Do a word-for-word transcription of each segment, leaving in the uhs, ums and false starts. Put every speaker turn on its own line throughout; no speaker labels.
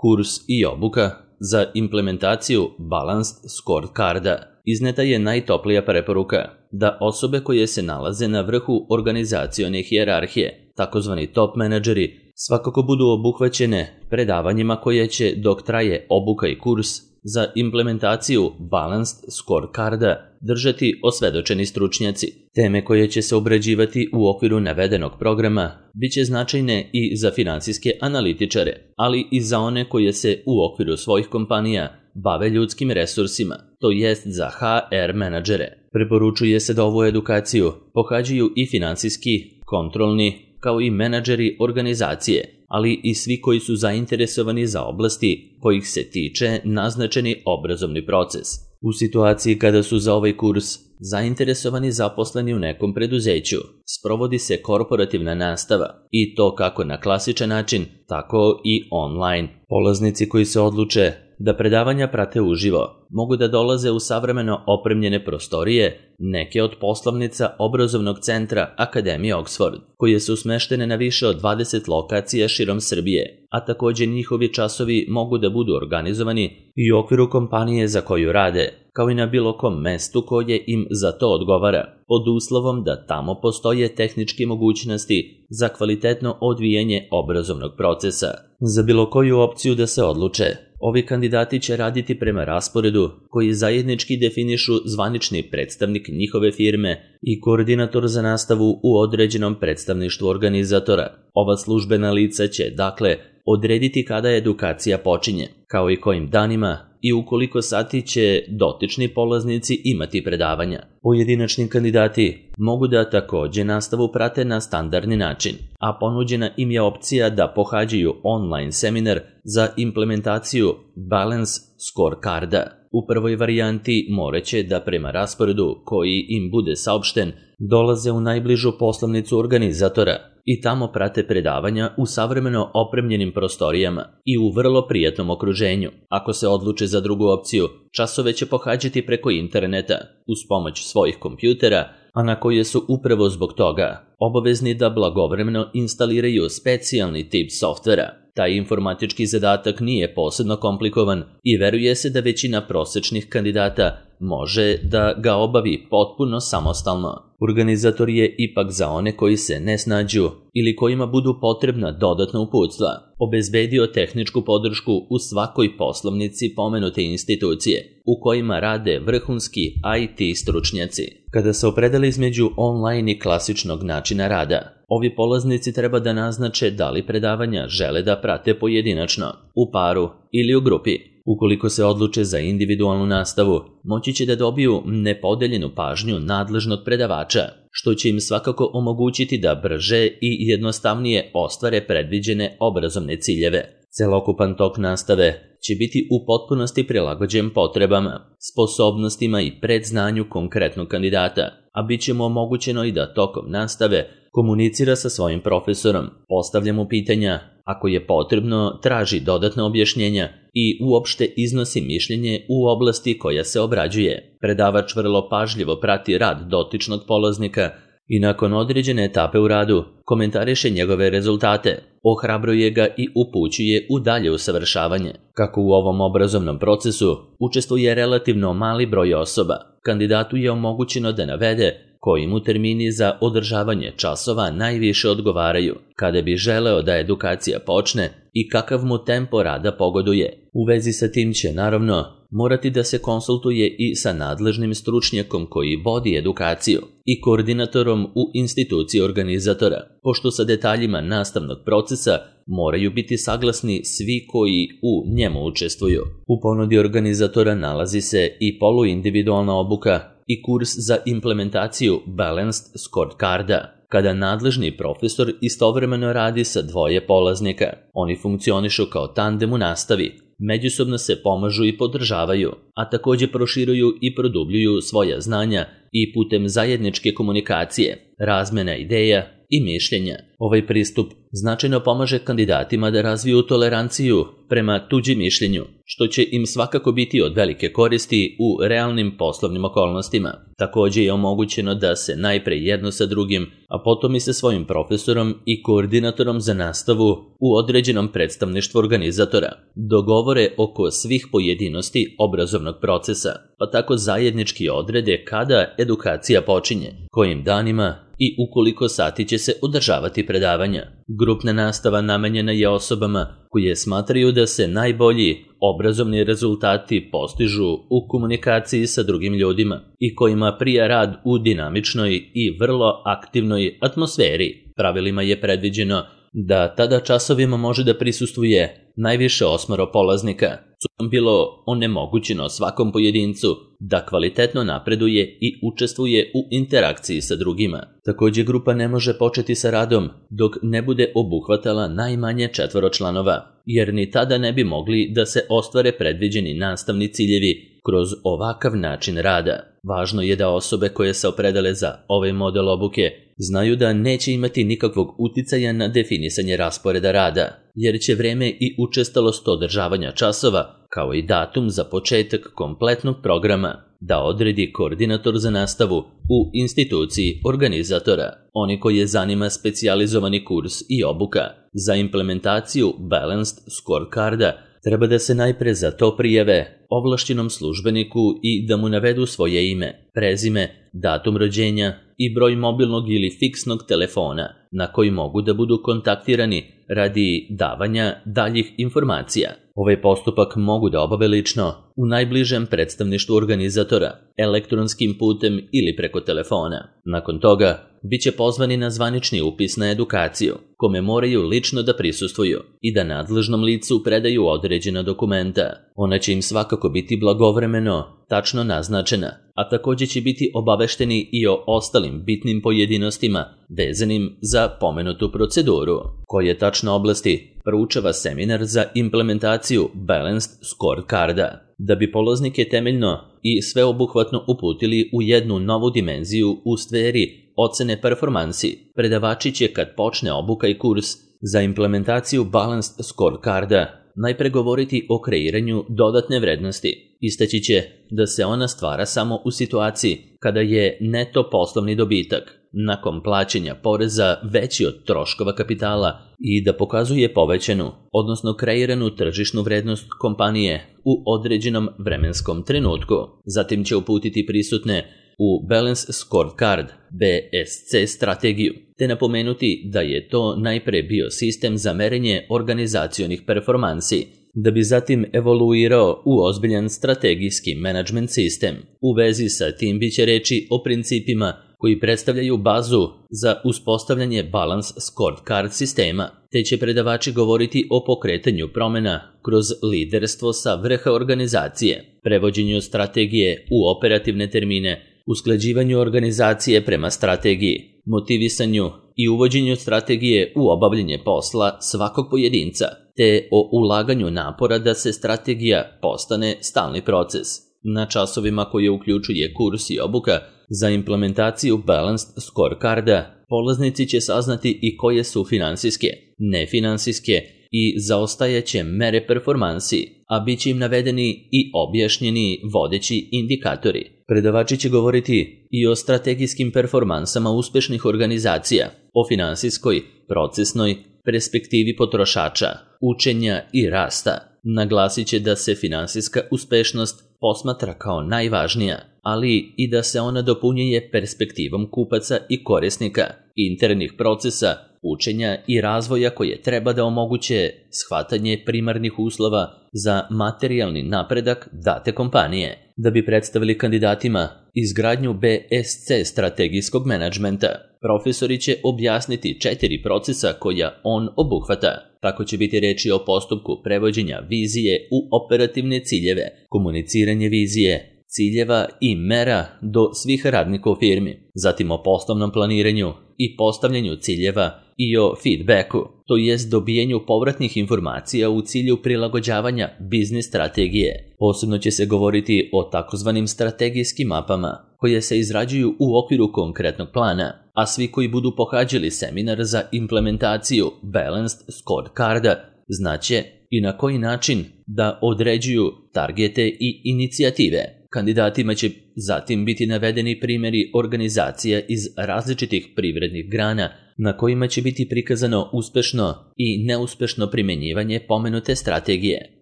Kurs i obuka za implementaciju Balanced Scorecarda. Izneta je najtoplija preporuka da osobe koje se nalaze na vrhu organizacione hijerarhije, takozvani top menadžeri, svakako budu obuhvaćene predavanjima koje će, dok traje obuka i kurs za implementaciju Balanced Scorecarda, držati osvedočeni stručnjaci. Teme koje će se obrađivati u okviru navedenog programa biće značajne i za finansijske analitičare, ali i za one koje se u okviru svojih kompanija bave ljudskim resursima, to jest za ha er menadžere. Preporučuje se da ovu edukaciju pohađaju i finansijski, kontrolni, kao i menadžeri organizacije, ali i svi koji su zainteresovani za oblasti kojih se tiče naznačeni obrazovni proces. U situaciji kada su za ovaj kurs zainteresovani zaposleni u nekom preduzeću, sprovodi se korporativna nastava i to kako na klasičan način, tako i online. Polaznici koji se odluče da predavanja prate uživo mogu da dolaze u savremeno opremljene prostorije neke od poslovnica obrazovnog centra Akademije Oxford, koje su smeštene na više od dvadeset lokacija širom Srbije, a takođe njihovi časovi mogu da budu organizovani i u okviru kompanije za koju rade, kao i na bilo kom mestu koje im za to odgovara, pod uslovom da tamo postoje tehničke mogućnosti za kvalitetno odvijanje obrazovnog procesa. Za bilo koju opciju da se odluče, ovi kandidati će raditi prema rasporedu koji zajednički definišu zvanični predstavnik njihove firme i koordinator za nastavu u određenom predstavništvu organizatora. Ova službena lica će, dakle, odrediti kada edukacija počinje, kao i kojim danima i u koliko sati će dotični polaznici imati predavanja. Pojedinačni kandidati mogu da takođe nastavu prate na standardni način, a ponuđena im je opcija da pohađaju online seminar za implementaciju Balance Scorecarda. U prvoj varijanti moraće da prema rasporedu koji im bude saopšten dolaze u najbližu poslovnicu organizatora i tamo prate predavanja u savremeno opremljenim prostorijama i u vrlo prijatnom okruženju. Ako se odluče za drugu opciju, časove će pohađati preko interneta uz pomoć svojih kompjutera, a na koje su upravo zbog toga obavezni da blagovremeno instaliraju specijalni tip softvera. Taj informatički zadatak nije posebno komplikovan i veruje se da većina prosečnih kandidata može da ga obavi potpuno samostalno. Organizator je ipak za one koji se ne snađu ili kojima budu potrebna dodatna uputstva obezbedio tehničku podršku u svakoj poslovnici pomenute institucije u kojima rade vrhunski i te stručnjaci. Kada se opredele između online i klasičnog načina rada, ovi polaznici treba da naznače da li predavanja žele da prate pojedinačno, u paru ili u grupi. Ukoliko se odluče za individualnu nastavu, moći će da dobiju nepodeljenu pažnju nadležnog predavača, što će im svakako omogućiti da brže i jednostavnije ostvare predviđene obrazovne ciljeve. Celokupan tok nastave će biti u potpunosti prilagođen potrebama, sposobnostima i predznanju konkretnog kandidata, a bit će mu omogućeno i da tokom nastave komunicira sa svojim profesorom, postavlja mu pitanja, ako je potrebno, traži dodatna objašnjenja i uopšte iznosi mišljenje u oblasti koja se obrađuje. Predavač vrlo pažljivo prati rad dotičnog polaznika i nakon određene etape u radu komentariše njegove rezultate, ohrabruje ga i upućuje u dalje usavršavanje. Kako u ovom obrazovnom procesu učestvuje relativno mali broj osoba, kandidatu je omogućeno da navede koji mu termini za održavanje časova najviše odgovaraju, kada bi želeo da edukacija počne i kakav mu tempo rada pogoduje. U vezi sa tim će, naravno, morati da se konsultuje i sa nadležnim stručnjakom koji vodi edukaciju i koordinatorom u instituciji organizatora, pošto sa detaljima nastavnog procesa moraju biti saglasni svi koji u njemu učestvuju. U ponudi organizatora nalazi se i poluindividualna obuka i kurs za implementaciju Balanced Scorecarda, kada nadležni profesor istovremeno radi sa dvoje polaznika. Oni funkcionišu kao tandem u nastavi, međusobno se pomažu i podržavaju, a takođe proširuju i produbljuju svoja znanja i putem zajedničke komunikacije, razmena ideja i mišljenja. Ovaj pristup značajno pomaže kandidatima da razviju toleranciju prema tuđem mišljenju što će im svakako biti od velike koristi u realnim poslovnim okolnostima. Također je omogućeno da se najpre jedno sa drugim, a potom i sa svojim profesorom i koordinatorom za nastavu u određenom predstavništvu organizatora dogovore oko svih pojedinosti obrazovnog procesa, pa tako zajednički odrede kada edukacija počinje, kojim danima i u koliko sati će se održavati predavanja. Grupna nastava namenjena je osobama koje smatraju da se najbolji obrazovni rezultati postižu u komunikaciji sa drugim ljudima i kojima prija rad u dinamičnoj i vrlo aktivnoj atmosferi. Pravilima je predviđeno da tada časovima može da prisustvuje najviše osmoro polaznika, što je bilo onemogućeno svakom pojedincu da kvalitetno napreduje i učestvuje u interakciji sa drugima. Također grupa ne može početi sa radom dok ne bude obuhvatala najmanje četvoro članova, jer ni tada ne bi mogli da se ostvare predviđeni nastavni ciljevi kroz ovakav način rada. Važno je da osobe koje se opredele za ovaj model obuke znaju da neće imati nikakvog uticaja na definisanje rasporeda rada, jer će vreme i učestalost održavanja časova, kao i datum za početak kompletnog programa, da odredi koordinator za nastavu u instituciji organizatora. Oni koje zanima specijalizovani kurs i obuka za implementaciju Balanced Scorecarda treba da se najpre za to prijave ovlašćenom službeniku i da mu navedu svoje ime, prezime, datum rođenja i broj mobilnog ili fiksnog telefona na koji mogu da budu kontaktirani radi davanja daljih informacija. Ovaj postupak mogu da obave lično u najbližem predstavništvu organizatora, elektronskim putem ili preko telefona. Nakon toga, bit će pozvani na zvanični upis na edukaciju, kome moraju lično da prisustvuju i da nadležnom licu predaju određena dokumenta. Ona će im svakako biti blagovremeno, tačno naznačena, a također će biti obavešteni i o ostalim bitnim pojedinostima vezanim za pomenutu proceduru. Koje tačno oblasti proučava seminar za implementaciju Balanced Scorecarda, da bi polaznike temeljno i sveobuhvatno uputili u jednu novu dimenziju u sferi ocene performansi. Predavači će, kad počne obuka i kurs za implementaciju Balanced Scorecarda, najpre govoriti o kreiranju dodatne vrednosti. Istaći će da se ona stvara samo u situaciji kada je neto poslovni dobitak nakon plaćanja poreza veći od troškova kapitala i da pokazuje povećanu, odnosno kreiranu tržišnu vrednost kompanije u određenom vremenskom trenutku. Zatim će uputiti prisutne u Balance Scorecard B S C strategiju, te napomenuti da je to najpre bio sistem za merenje organizacionih performansi, da bi zatim evoluirao u ozbiljan strategijski management sistem. U vezi sa tim biće reči o principima koji predstavljaju bazu za uspostavljanje Balance Scorecard sistema, te će predavači govoriti o pokretanju promjena kroz liderstvo sa vrha organizacije, prevođenju strategije u operativne termine, usklađivanju organizacije prema strategiji, motivisanju i uvođenju strategije u obavljanje posla svakog pojedinca, te o ulaganju napora da se strategija postane stalni proces. Na časovima koje uključuje kurs i obuka za implementaciju Balanced Scorecarda, polaznici će saznati i koje su finansijske, nefinansijske i zaostajaće mere performansi, a bit će im navedeni i objašnjeni vodeći indikatori. Predavači će govoriti i o strategijskim performansama uspešnih organizacija, o finansijskoj, procesnoj perspektivi potrošača, učenja i rasta. Naglasit će da se finansijska uspešnost posmatra kao najvažnija, ali i da se ona dopunjuje perspektivom kupaca i korisnika, internih procesa, učenja i razvoja koje treba da omoguće shvatanje primarnih uslova za materijalni napredak date kompanije. Da bi predstavili kandidatima izgradnju B S C strategijskog menadžmenta, profesori će objasniti četiri procesa koja on obuhvata. Tako će biti reči o postupku prevođenja vizije u operativne ciljeve, komuniciranje vizije, ciljeva i mera do svih radnika u firmi, zatim o poslovnom planiranju i postavljanju ciljeva i o feedbacku, to jest dobijenju povratnih informacija u cilju prilagođavanja biznis strategije. Posebno će se govoriti o takozvanim strategijskim mapama, koje se izrađuju u okviru konkretnog plana, a svi koji budu pohađali seminar za implementaciju Balanced Scorecarda znaće i na koji način da određuju targete i inicijative. Kandidatima će zatim biti navedeni primjeri organizacija iz različitih privrednih grana na kojima će biti prikazano uspešno i neuspešno primjenjivanje pomenute strategije.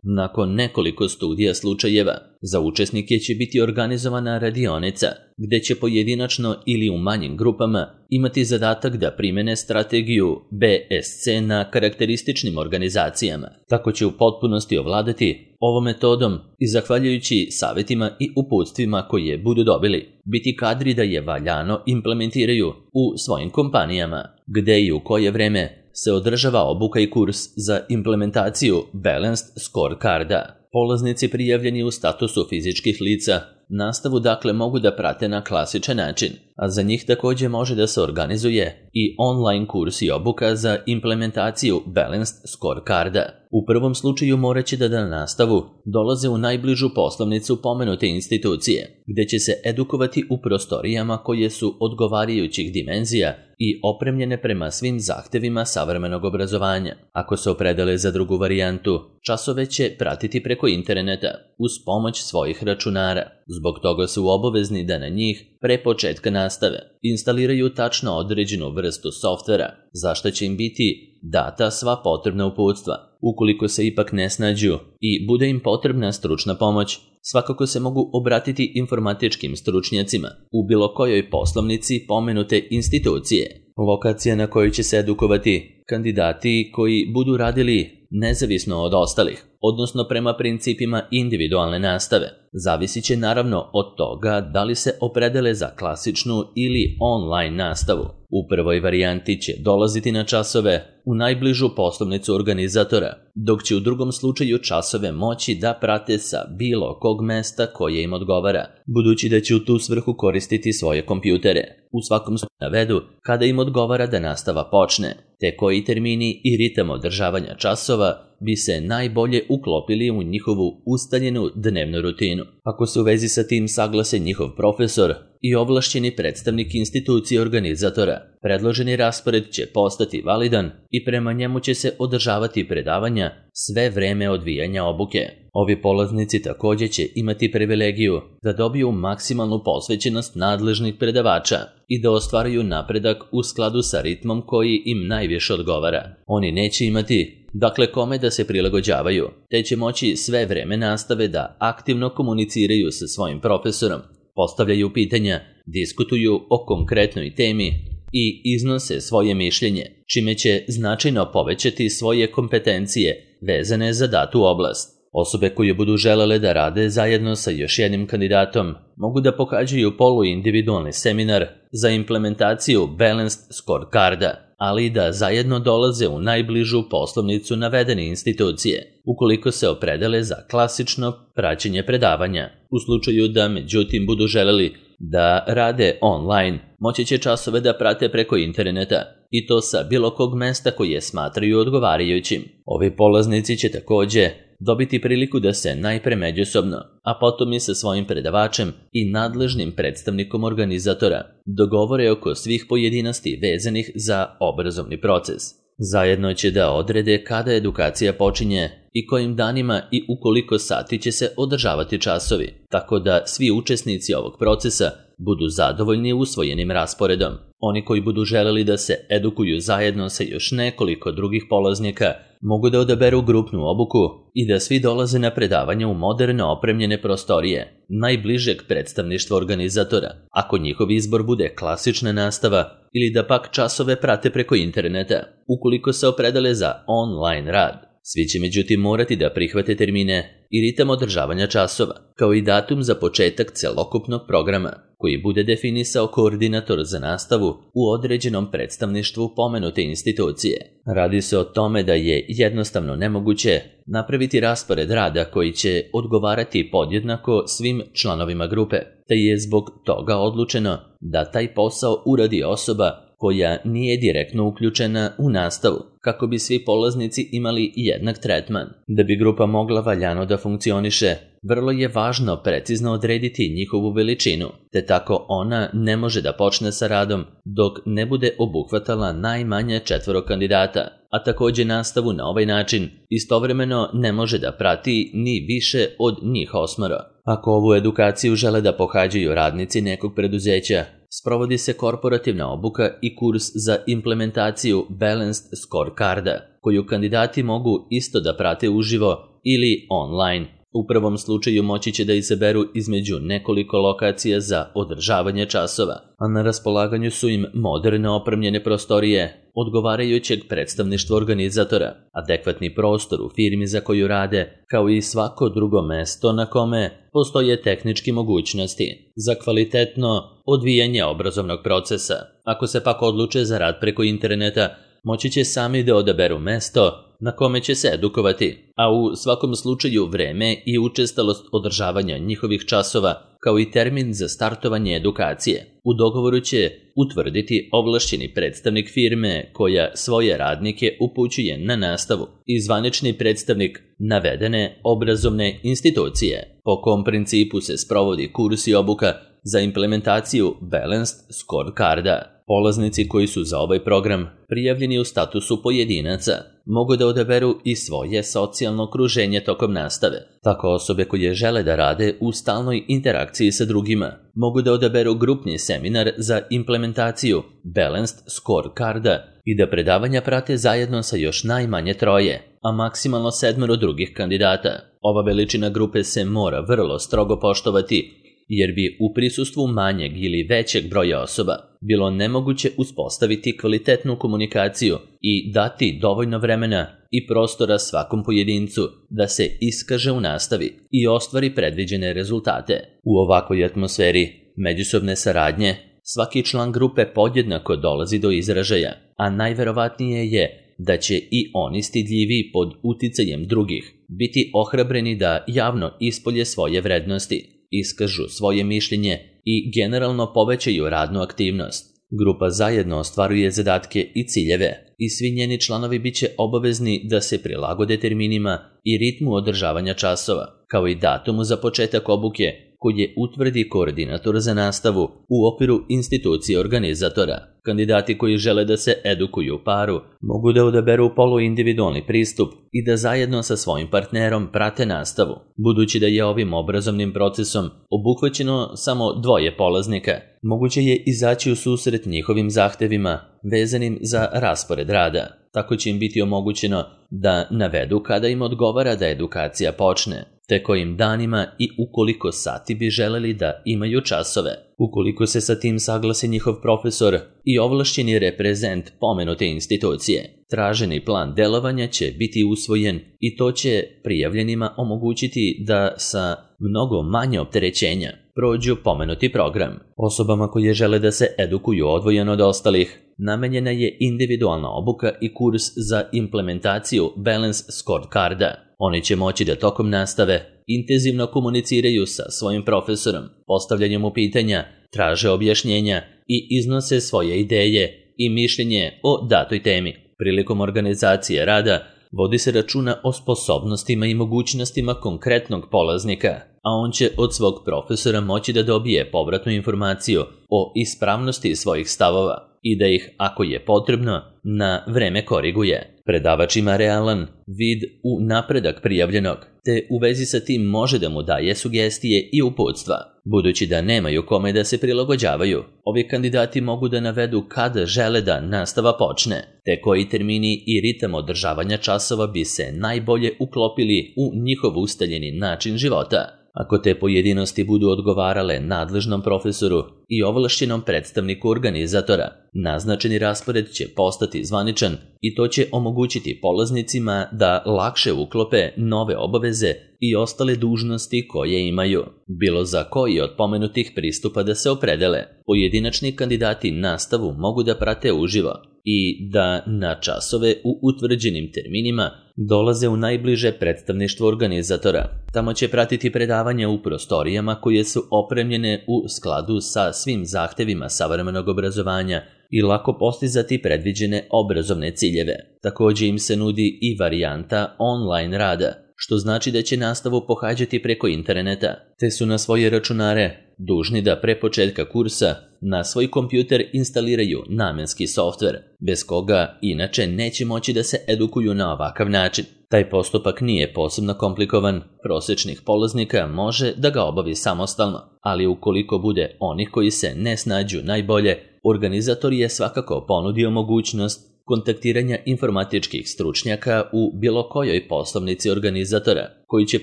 Nakon nekoliko studija slučajeva, za učesnike će biti organizovana radionica, gde će pojedinačno ili u manjim grupama imati zadatak da primene strategiju B S C na karakterističnim organizacijama. Tako će u potpunosti ovladati ovom metodom i zahvaljujući savjetima i uputstvima koje budu dobili, biti kadri da je valjano implementiraju u svojim kompanijama, gde i u koje vreme se održava obuka i kurs za implementaciju Balanced Scorecarda. Polaznici prijavljeni u statusu fizičkih lica nastavu dakle mogu da prate na klasičan način, a za njih također može da se organizuje i online kurs i obuka za implementaciju Balanced Scorecarda. U prvom slučaju morat će da na nastavu dolaze u najbližu poslovnicu pomenute institucije, gde će se edukovati u prostorijama koje su odgovarajućih dimenzija i opremljene prema svim zahtevima savremenog obrazovanja. Ako se opredele za drugu varijantu, časove će pratiti preko interneta uz pomoć svojih računara. Zbog toga su obavezni da na njih pre početka nastave instaliraju tačno određenu vrstu softvera, za što će im biti data sva potrebna uputstva. Ukoliko se ipak ne snađu i bude im potrebna stručna pomoć, svakako se mogu obratiti informatičkim stručnjacima u bilo kojoj poslovnici pomenute institucije. Lokacija na kojoj će se edukovati kandidati koji budu radili nezavisno od ostalih, odnosno prema principima individualne nastave, zavisit će naravno od toga da li se opredele za klasičnu ili online nastavu. U prvoj varijanti će dolaziti na časove u najbližu poslovnicu organizatora, dok će u drugom slučaju časove moći da prate sa bilo kog mesta koje im odgovara, budući da će u tu svrhu koristiti svoje kompjutere. U svakom slučaju navedu kada im odgovara da nastava počne, te koji termini i ritam održavanja časova bi se najbolje uklopili u njihovu ustaljenu dnevnu rutinu. Ako se u vezi sa tim saglase njihov profesor i ovlašćeni predstavnik institucije organizatora, predloženi raspored će postati validan i prema njemu će se održavati predavanja sve vreme odvijanja obuke. Ovi polaznici također će imati privilegiju da dobiju maksimalnu posvećenost nadležnih predavača i da ostvaruju napredak u skladu sa ritmom koji im najviše odgovara. Oni neće imati dakle kome da se prilagođavaju, te će moći sve vreme nastave da aktivno komuniciraju sa svojim profesorom, postavljaju pitanja, diskutuju o konkretnoj temi i iznose svoje mišljenje, čime će značajno povećati svoje kompetencije vezane za datu oblast. Osobe koje budu želele da rade zajedno sa još jednim kandidatom mogu da pohađaju poluindividualni seminar za implementaciju Balanced Scorecarda, ali i da zajedno dolaze u najbližu poslovnicu navedene institucije, ukoliko se opredele za klasično praćenje predavanja. U slučaju da međutim budu želeli da rade online, moći će časove da prate preko interneta, i to sa bilo kog mesta koje smatraju odgovarajućim. Ovi polaznici će također dobiti priliku da se najpre međusobno, a potom i sa svojim predavačem i nadležnim predstavnikom organizatora dogovore oko svih pojedinosti vezanih za obrazovni proces. Zajedno će da odrede kada edukacija počinje i kojim danima i u koliko sati će se održavati časovi, tako da svi učesnici ovog procesa budu zadovoljni usvojenim rasporedom. Oni koji budu želeli da se edukuju zajedno sa još nekoliko drugih polaznika mogu da odaberu grupnu obuku i da svi dolaze na predavanje u moderno opremljene prostorije najbližeg predstavništva organizatora, ako njihov izbor bude klasična nastava ili da pak časove prate preko interneta, ukoliko se opredele za online rad. Svi će međutim morati da prihvate termine i ritam održavanja časova, kao i datum za početak celokupnog programa, koji bude definisao koordinator za nastavu u određenom predstavništvu pomenute institucije. Radi se o tome da je jednostavno nemoguće napraviti raspored rada koji će odgovarati podjednako svim članovima grupe, te je zbog toga odlučeno da taj posao uradi osoba koja nije direktno uključena u nastavu, kako bi svi polaznici imali jednak tretman. Da bi grupa mogla valjano da funkcioniše, vrlo je važno precizno odrediti njihovu veličinu, te tako ona ne može da počne sa radom dok ne bude obuhvatala najmanje četvoro kandidata, a takođe nastavu na ovaj način istovremeno ne može da prati ni više od njih osmoro. Ako ovu edukaciju žele da pohađaju radnici nekog preduzeća, sprovodi se korporativna obuka i kurs za implementaciju Balanced Scorecarda, koju kandidati mogu isto da prate uživo ili online. U prvom slučaju moći će da izaberu između nekoliko lokacija za održavanje časova, a na raspolaganju su im moderno opremljene prostorije, odgovarajućeg predstavništva organizatora, adekvatni prostor u firmi za koju rade, kao i svako drugo mesto na kome postoje tehnički mogućnosti za kvalitetno odvijanje obrazovnog procesa. Ako se pak odluče za rad preko interneta, moći će sami da odaberu mesto na kome će se edukovati, a u svakom slučaju vreme i učestalost održavanja njihovih časova, kao i termin za startovanje edukacije, u dogovoru će utvrditi ovlašćeni predstavnik firme koja svoje radnike upućuje na nastavu i zvanični predstavnik navedene obrazovne institucije, po kom principu se sprovodi kurs i obuka za implementaciju Balanced Scorecarda. Polaznici koji su za ovaj program prijavljeni u statusu pojedinaca mogu da odaberu i svoje socijalno okruženje tokom nastave. Tako osobe koje žele da rade u stalnoj interakciji sa drugima mogu da odaberu grupni seminar za implementaciju Balanced Scorecarda i da predavanja prate zajedno sa još najmanje troje, a maksimalno sedmero drugih kandidata. Ova veličina grupe se mora vrlo strogo poštovati, jer bi u prisustvu manjeg ili većeg broja osoba bilo nemoguće uspostaviti kvalitetnu komunikaciju i dati dovoljno vremena i prostora svakom pojedincu da se iskaže u nastavi i ostvari predviđene rezultate. U ovakvoj atmosferi međusobne saradnje svaki član grupe podjednako dolazi do izražaja, a najverovatnije je da će i oni stidljivi pod uticajem drugih biti ohrabreni da javno ispolje svoje vrednosti, iskažu svoje mišljenje i generalno povećaju radnu aktivnost. Grupa zajedno ostvaruje zadatke i ciljeve i svi njeni članovi biće obavezni da se prilagode terminima i ritmu održavanja časova, kao i datumu za početak obuke koje utvrdi koordinator za nastavu u okviru institucije organizatora. Kandidati koji žele da se edukuju u paru mogu da odaberu poluindividualni pristup i da zajedno sa svojim partnerom prate nastavu. Budući da je ovim obrazovnim procesom obuhvaćeno samo dvoje polaznika, moguće je izaći u susret njihovim zahtevima vezanim za raspored rada. Tako će im biti omogućeno da navedu kada im odgovara da edukacija počne, te kojim danima i ukoliko sati bi želeli da imaju časove. Ukoliko se sa tim saglasi njihov profesor i ovlašćeni reprezent pomenute institucije, traženi plan delovanja će biti usvojen i to će prijavljenima omogućiti da sa mnogo manje opterećenja prođu pomenuti program. Osobama koje žele da se edukuju odvojeno od ostalih, namenjena je individualna obuka i kurs za implementaciju Balanced Scorecarda. Oni će moći da tokom nastave intenzivno komuniciraju sa svojim profesorom, postavljanjem mu pitanja, traže objašnjenja i iznose svoje ideje i mišljenje o datoj temi. Prilikom organizacije rada vodi se računa o sposobnostima i mogućnostima konkretnog polaznika, a on će od svog profesora moći da dobije povratnu informaciju o ispravnosti svojih stavova i da ih, ako je potrebno, na vreme koriguje. Predavač ima realan vid u napredak prijavljenog, te u vezi sa tim može da mu daje sugestije i uputstva. Budući da nemaju kome da se prilagođavaju, ovi kandidati mogu da navedu kada žele da nastava počne, te koji termini i ritam održavanja časova bi se najbolje uklopili u njihov ustaljeni način života. Ako te pojedinosti budu odgovarale nadležnom profesoru i ovlašćenom predstavniku organizatora, naznačeni raspored će postati zvaničan i to će omogućiti polaznicima da lakše uklope nove obaveze i ostale dužnosti koje imaju. Bilo za koji od pomenutih pristupa da se opredele, pojedinačni kandidati nastavu mogu da prate uživo i da na časove u utvrđenim terminima dolaze u najbliže predstavništvo organizatora. Tamo će pratiti predavanja u prostorijama koje su opremljene u skladu sa svim zahtevima savremenog obrazovanja i lako postizati predviđene obrazovne ciljeve. Također im se nudi i varijanta online rada, što znači da će nastavu pohađati preko interneta, te su na svoje računare dužni da pre početka kursa na svoj kompjuter instaliraju namenski softver, bez koga inače neće moći da se edukuju na ovakav način. Taj postupak nije posebno komplikovan, prosječnih polaznika može da ga obavi samostalno, ali ukoliko bude onih koji se ne snađu najbolje, organizator je svakako ponudio mogućnost kontaktiranja informatičkih stručnjaka u bilo kojoj poslovnici organizatora, koji će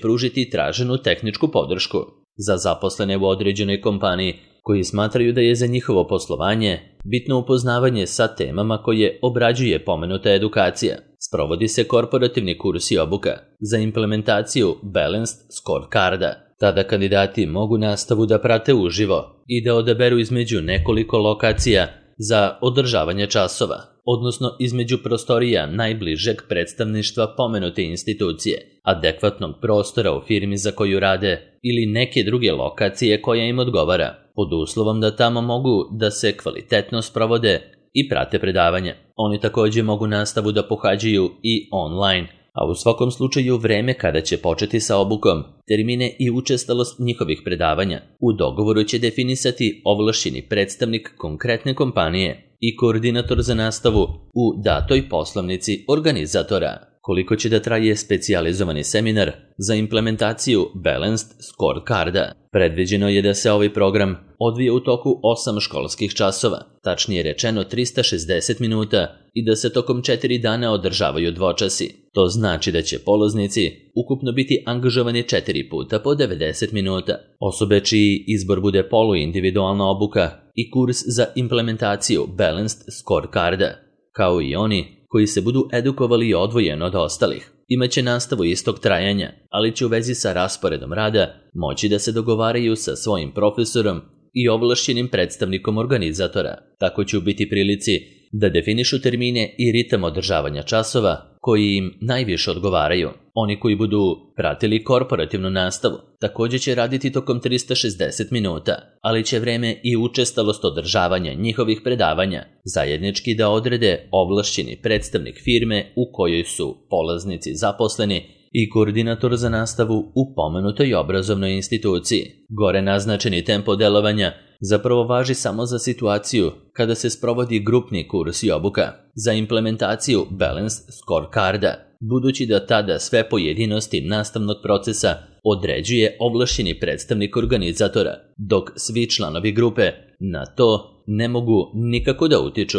pružiti traženu tehničku podršku. Za zaposlene u određenoj kompaniji koji smatraju da je za njihovo poslovanje bitno upoznavanje sa temama koje obrađuje pomenuta edukacija, sprovodi se korporativni kurs i obuka za implementaciju Balanced Scorecarda. Tada kandidati mogu nastavu da prate uživo i da odaberu između nekoliko lokacija za održavanje časova, odnosno između prostorija najbližeg predstavništva pomenute institucije, adekvatnog prostora u firmi za koju rade ili neke druge lokacije koja im odgovara, pod uslovom da tamo mogu da se kvalitetno sprovode i prate predavanja. Oni također mogu nastavu da pohađaju i online, a u svakom slučaju vreme kada će početi sa obukom, termine i učestalost njihovih predavanja u dogovoru će definisati ovlašćeni predstavnik konkretne kompanije i koordinator za nastavu u datoj poslovnici organizatora. Koliko će da traje specijalizovani seminar za implementaciju Balanced Scorecarda? Predviđeno je da se ovaj program odvije u toku osam školskih časova, tačnije rečeno trista šezdeset minuta, i da se tokom četiri dana održavaju dvočasi. To znači da će polaznici ukupno biti angažovani četiri puta po devedeset minuta. Osobe čiji izbor bude poluindividualna obuka i kurs za implementaciju Balanced Scorecarda, kao i oni koji se budu edukovali odvojeno od ostalih, imaće nastavu istog trajanja, ali će u vezi sa rasporedom rada moći da se dogovaraju sa svojim profesorom i ovlašćenim predstavnikom organizatora. Tako će biti prilici da definišu termine i ritam održavanja časova koji im najviše odgovaraju. Oni koji budu pratili korporativnu nastavu također će raditi tokom trista šezdeset minuta, ali će vreme i učestalost održavanja njihovih predavanja zajednički da odrede ovlašćeni predstavnik firme u kojoj su polaznici zaposleni i koordinator za nastavu u pomenutoj obrazovnoj instituciji. Gore naznačeni tempo delovanja zapravo važi samo za situaciju kada se sprovodi grupni kurs i obuka za implementaciju Balanced Scorecarda, budući da tada sve pojedinosti nastavnog procesa određuje ovlašćeni predstavnik organizatora, dok svi članovi grupe na to ne mogu nikako da utiču.